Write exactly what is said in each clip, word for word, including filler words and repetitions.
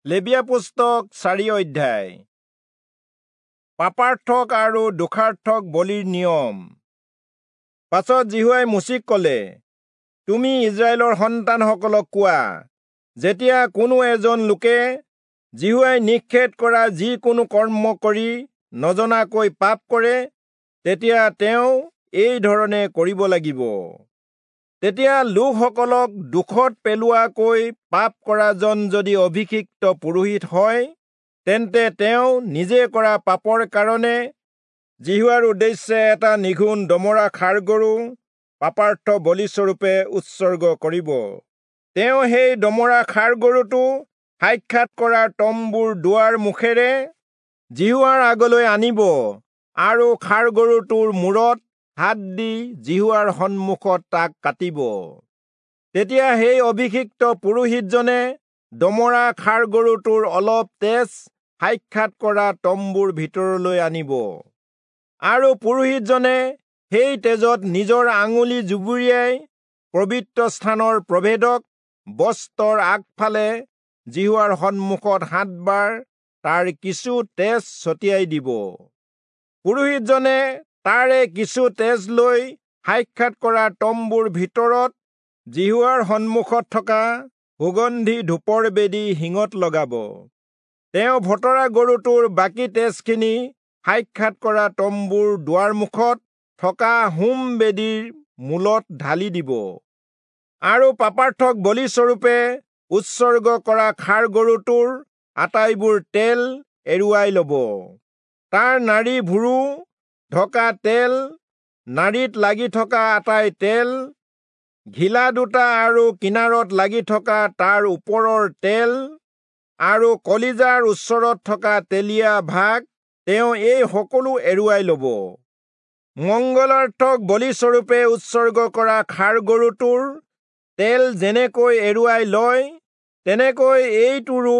লেবীয়া পুস্তক চাৰি অধ্যায়। পাপাৰ্থক আৰু দোষাৰ্থক বলিৰ নিয়ম। পাছত যিহোৱাই মোচিক কলে, তুমি ইস্ৰায়েলৰ সন্তানসকলক কোৱা, যেতিয়া কোনো এজন লোকে যিহোৱাই নিষেধ কৰা যিকোনো কৰ্ম কৰি নজনাকৈ পাপ কৰে, তেতিয়া তেওঁ এই ধৰণে কৰিব লাগিব। তেতিয়া লোকসকলক দুখত পেলোৱাকৈ পাপ কৰাজন যদি অভিষিক্ত পুৰোহিত হয়, তেন্তে তেওঁ নিজে কৰা পাপৰ কাৰণে যিহোৱাৰ উদ্দেশ্যে এটা নিঘুণ দমৰা ষাঁড় গৰু পাপাৰ্থ বলিস্বৰূপে উৎসৰ্গ কৰিব। তেওঁ সেই দমৰা ষাঁড় গৰুটো সাক্ষাৎ কৰা তম্বুৰ দুৱাৰ মুখেৰে যিহোৱাৰ আগলৈ আনিব আৰু ষাঁড় গৰুটোৰ মূৰত হাত দি যিহোৱাৰ সন্মুখত তাক কাটিব। তেতিয়া সেই অভিষিক্ত পুৰোহিতজনে দমৰা ষাঁড় গৰুটোৰ অলপ তেজ সাক্ষাৎ কৰা তম্বুৰ ভিতৰলৈ আনিব আৰু পুৰোহিতজনে সেই তেজত নিজৰ আঙুলি জুবুৰিয়াই পবিত্ৰ স্থানৰ প্ৰভেদক বস্ত্ৰৰ আগফালে যিহোৱাৰ সন্মুখত সাতবাৰ তাৰ কিছু তেজ ছটিয়াই দিব। পুৰোহিতজনে তাৰে কিছু তেজ লৈ সাক্ষাৎ কৰা তম্বুৰ ভিতৰত যিহোৱাৰ সন্মুখত থকা সুগন্ধি ধূপৰ বেদী শিঙত লগাব। তেওঁ ভতৰা গৰুটোৰ বাকী তেজখিনি সাক্ষাৎ কৰা তম্বুৰ দুৱাৰমুখত থকা হোম বেদীৰ মূলত ঢালি দিব। আৰু পাপাৰ্থক বলিস্বৰূপে উৎসৰ্গ কৰা ষাঁড় গৰুটোৰ আটাইবোৰ তেল এৰুৱাই লব। তাৰ নাড়ী ভুৰু ঢকা তেল, নাড়ীত লাগি থকা আটাই তেল, ঘিলা দুটা আৰু কিনাৰত লাগি থকা তাৰ ওপৰৰ তেল আৰু কলিজাৰ ওচৰত থকা তেলীয়া ভাগ তেওঁ এই সকলো এৰুৱাই লব। মংগলাৰ্থক বলিস্বৰূপে উৎসৰ্গ কৰা ষাঁড় গৰুটোৰ তেল যেনেকৈ এৰুৱাই লয়, তেনেকৈ এইটোৰো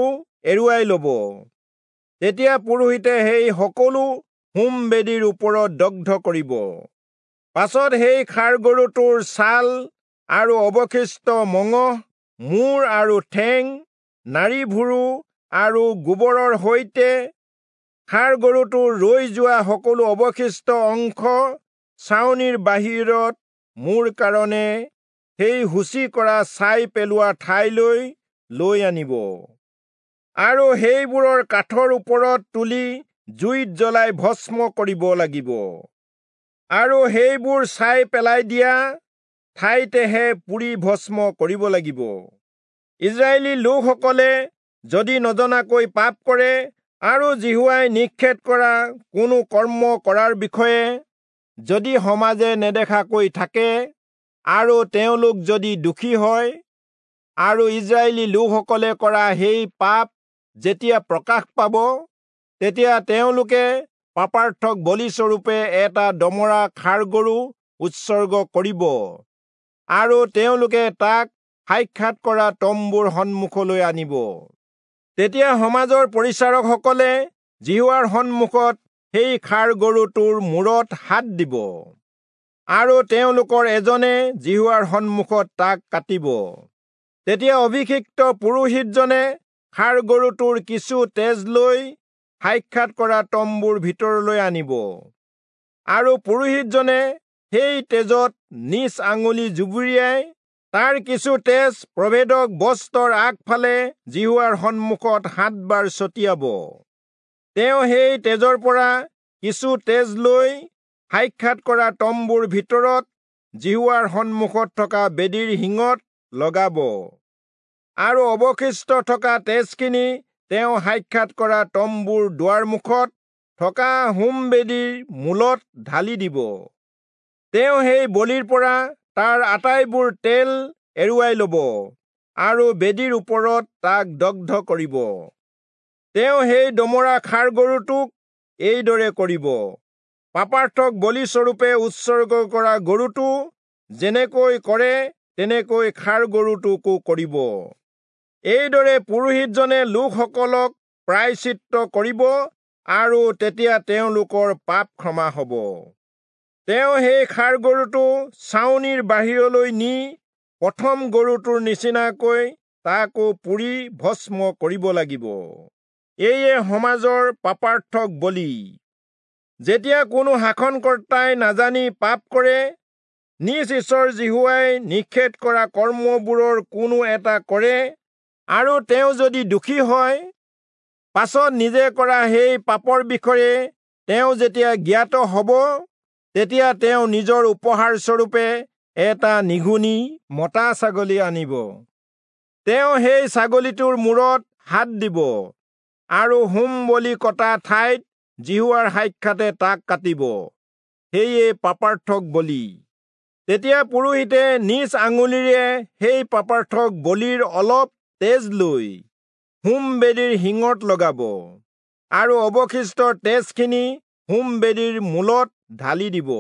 এৰুৱাই লব। তেতিয়া পুৰোহিতে সেই সকলো হোম বেদীৰ ওপৰত দগ্ধ কৰিব। পাছত সেই ষাঁড় গৰুটোৰ ছাল আৰু অৱশিষ্ট মঙহ, মূৰ আৰু ঠেং, নাড়ী ভুৰু আৰু গোবৰৰ সৈতে ষাঁড় গৰুটোৰ ৰৈ যোৱা সকলো অৱশিষ্ট অংশ ছাউনিৰ বাহিৰত মোৰ কাৰণে সেই সূচী কৰা ছাই পেলোৱা ঠাইলৈ লৈ আনিব আৰু সেইবোৰৰ কাঠৰ ওপৰত তুলি জুইত জ্বলাই ভস্ম কৰিব লাগিব। আৰু সেইবোৰ ছাই পেলাই দিয়া ঠাইতেহে পুৰি ভস্ম কৰিব লাগিব। ইস্ৰায়েলী লোকসকলে যদি নজনাকৈ পাপ কৰে আৰু যিহোৱাই নিষেধ কৰা কোনো কৰ্ম কৰাৰ বিষয়ে যদি সমাজে নেদেখাকৈ থাকে আৰু তেওঁলোক যদি দোষী হয় আৰু ইস্ৰায়েলী লোকসকলে কৰা সেই পাপ যেতিয়া প্ৰকাশ পাব, তেতিয়া তেওঁলোকে পাপাৰ্থক বলিস্বৰূপে এটা দমৰা ষাঁড় গৰু উৎসৰ্গ কৰিব আৰু তেওঁলোকে তাক সাক্ষাৎ কৰা তম্বুৰ সন্মুখলৈ আনিব। তেতিয়া সমাজৰ পৰিচাৰকসকলে যিহোৱাৰ সন্মুখত সেই ষাঁড় গৰুটোৰ মূৰত হাত দিব আৰু তেওঁলোকৰ এজনে যিহোৱাৰ সন্মুখত তাক কাটিব। তেতিয়া অভিষিক্ত পুৰোহিতজনে ষাঁড় গৰুটোৰ কিছু তেজ লৈ সাক্ষাৎ কৰা তম্বুৰ ভিতৰলৈ আনিব আৰু পুৰোহিতজনে সেই তেজত নিজ আঙুলি জুবুৰিয়াই তাৰ কিছু তেজ প্ৰভেদক বস্ত্ৰৰ আগফালে যিহোৱাৰ সন্মুখত সাতবাৰ ছটিয়াব। তেওঁ সেই তেজৰ পৰা কিছু তেজ লৈ সাক্ষাৎ কৰা তম্বুৰ ভিতৰত যিহোৱাৰ সন্মুখত থকা বেদীৰ শিঙত লগাব আৰু অৱশিষ্ট থকা তেজখিনি তেওঁ সাক্ষাৎ কৰা তম্বুৰ দুৱাৰমুখত থকা হোম বেদীৰ মূলত ঢালি দিব। তেওঁ সেই বলিৰ পৰা তাৰ আটাইবোৰ তেল এৰুৱাই লব আৰু বেদীৰ ওপৰত তাক দগ্ধ কৰিব। তেওঁ সেই দমৰা ষাঁড় গৰুটোক এইদৰে কৰিব। পাপাৰ্থক বলিস্বৰূপে উৎসৰ্গ কৰা গৰুটো যেনেকৈ কৰে, তেনেকৈ ষাঁড় গৰুটোকো কৰিব। এইদৰে পুৰোহিতজনে লোকসকলক প্ৰায়শ্চিত্ত কৰিব আৰু তেতিয়া তেওঁলোকৰ পাপ ক্ষমা হব। তেওঁ সেই ষাঁড় গৰুটো ছাউনিৰ বাহিৰলৈ নি প্ৰথম গৰুটোৰ নিচিনাকৈ তাকো পুৰি ভস্ম কৰিব লাগিব। এয়ে সমাজৰ পাপাৰ্থক বলি। যেতিয়া কোনো শাসনকৰ্তাই নাজানি পাপ কৰে, নিজ ঈশ্বৰ যিহোৱাই নিষেধ কৰা কৰ্মবোৰৰ কোনো এটা কৰে, আৰু তেওঁ যদি দোষী হয়, পাছত নিজে কৰা সেই পাপৰ বিষয়ে তেওঁ যেতিয়া জ্ঞাত হ'ব, তেতিয়া তেওঁ নিজৰ উপহাৰস্বৰূপে এটা নিঘুণী মতা ছাগলী আনিব। তেওঁ সেই ছাগলীটোৰ মূৰত হাত দিব আৰু হোম বলি কটা ঠাইত যিহোৱাৰ সাক্ষাতে তাক কাটিব। সেয়ে পাপাৰ্থক বলি। তেতিয়া পুৰোহিতে নিজ আঙুলিৰে সেই পাপাৰ্থক বলিৰ অলপ তেজ লৈ হোম বেদীৰ শিঙত লগাব আৰু অৱশিষ্ট তেজখিনি হোম বেদীৰ মূলত ঢালি দিব।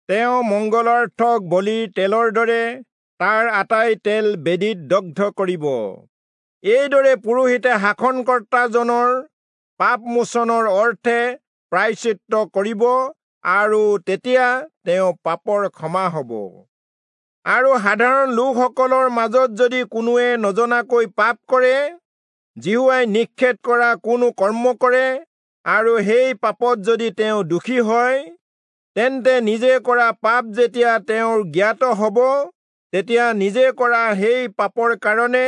তেওঁ মংগলাৰ্থক বলিৰ তেলৰ দৰে তাৰ আটাই তেল বেদীত দগ্ধ কৰিব। এইদৰে পুৰোহিতে শাসনকৰ্তাজনৰ পাপমোচনৰ অৰ্থে প্ৰায়শ্চিত্ত কৰিব আৰু তেতিয়া তেওঁ পাপৰ ক্ষমা হ'ব। আৰু সাধাৰণ লোকসকলৰ মাজত যদি কোনোৱে নজনাকৈ পাপ কৰে, যিহোৱাই নিষেধ কৰা কোনো কৰ্ম কৰে, আৰু সেই পাপত যদি তেওঁ দোষী হয়, তেন্তে নিজে কৰা পাপ যেতিয়া তেওঁৰ জ্ঞাত হ'ব, তেতিয়া নিজে কৰা সেই পাপৰ কাৰণে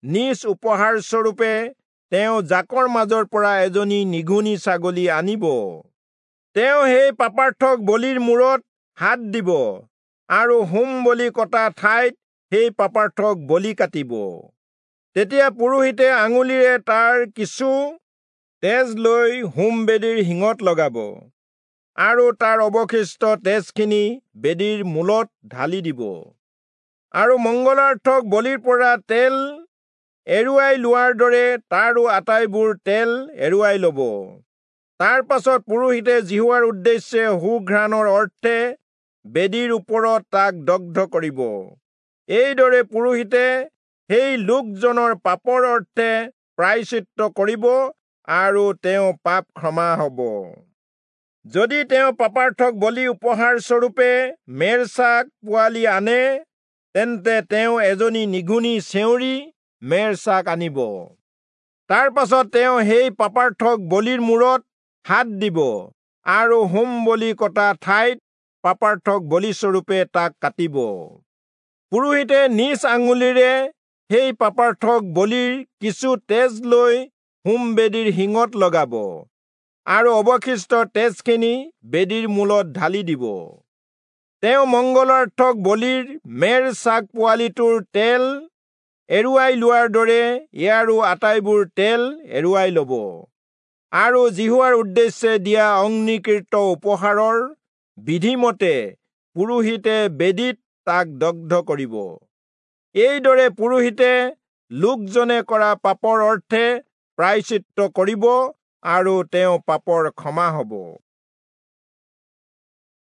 নিজ উপহাৰস্বৰূপে তেওঁ জাকৰ মাজৰ পৰা এজনী নিঘুণী ছাগলী আনিব। তেওঁ সেই পাপাৰ্থক বলিৰ মূৰত হাত দিব আৰু হোম বলি কটা ঠাইত সেই পাপাৰ্থক বলি কাটিব। তেতিয়া পুৰোহিতে আঙুলিৰে তাৰ কিছু তেজ লৈ হোম বেদীৰ শিঙত লগাব আৰু তাৰ অৱশিষ্ট তেজখিনি বেদীৰ মূলত ঢালি দিব। আৰু মংগলাৰ্থক বলিৰ পৰা তেল এৰুৱাই লোৱাৰ দৰে তাৰো আটাইবোৰ তেল এৰুৱাই ল'ব। তাৰ পাছত পুৰোহিতে যিহোৱাৰ উদ্দেশ্যে সুঘ্ৰাণৰ অৰ্থে বেদীৰ ওপৰত তাক দগ্ধ কৰিব। এইদৰে পুৰোহিতে সেই লোকজনৰ পাপৰ অৰ্থে প্ৰায়শ্চিত্ত কৰিব আৰু তেওঁ পাপ ক্ষমা হ'ব। যদি তেওঁ পাপাৰ্থক বলি উপহাৰস্বৰূপে মেৰ ছাগ পোৱালি আনে, তেন্তে তেওঁ এজনী নিঘুণী চেউৰী মেৰ ছাগ আনিব। তাৰ পাছত তেওঁ সেই পাপাৰ্থক বলিৰ মূৰত হাত দিব আৰু হোম বলি কটা ঠাইত পাপাৰ্থক বলিস্বৰূপে তাক কাটিব। পুৰোহিতে নিজ আঙুলিৰে সেই পাপাৰ্থক বলিৰ কিছু তেজ লৈ হোম বেদীৰ শিঙত লগাব আৰু অৱশিষ্ট তেজখিনি বেদীৰ মূলত ঢালি দিব। তেওঁ মংগলাৰ্থক বলিৰ মেৰ ছাগ পোৱালিটোৰ তেল এৰুৱাই লোৱাৰ দৰে ইয়াৰো আটাইবোৰ তেল এৰুৱাই ল'ব আৰু যিহোৱাৰ উদ্দেশ্যে দিয়া অগ্নিকৃত উপহাৰৰ বিধিমতে পুৰোহিতে বেদীত তাক দগ্ধ কৰিব। এইদৰে পুৰোহিতে লোকজনে কৰা পাপৰ অৰ্থে প্ৰায়শ্চিত্ত কৰিব আৰু তেওঁ পাপৰ ক্ষমা হ'ব।